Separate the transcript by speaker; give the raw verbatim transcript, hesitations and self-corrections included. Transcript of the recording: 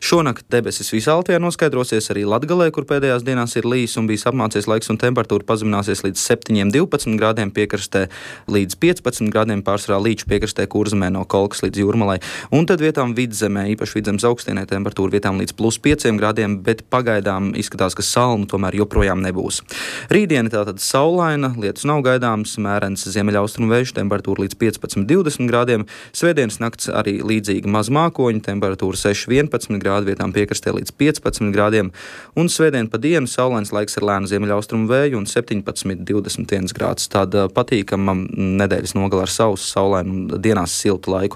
Speaker 1: Šonakt debesis visā Latvijā noskaidrosies, arī Latgalē, kur pēdējās dienās ir lijis un bijis apmācies laiks, un temperatūra pazemināsies līdz septiņiem divpadsmit grādiem piekrastē, līdz piecpadsmit grādiem pārsvarā Līču piekrastē, Kurzemē no Kolkas līdz Jūrmalai. Un tad vietām Vidzemē, īpaši Vidzemes augstienē, temperatūra vietām līdz plus pieciem grādiem, bet pagaidām izskatās, ka salnu tomēr joprojām nebūs. Rītdiena tātad saulaina, lietus nav gaidāms, mērens ziemeļaustrumu vējš, temperatūra līdz piecpadsmit divdesmit grādiem. Svētdienas nakts arī līdzīga mazmākoņa, temperatūra seši vienpadsmit grādi, vietām piekrastē līdz piecpadsmit grādiem. Un svētdien pa dienu saulains laiks ar lēnu ziemeļaustrumu vēju un septiņpadsmit divdesmit viens grāds. Tāda patīkama nedēļas nogala ar sausu, saulainu un dienās siltu laiku.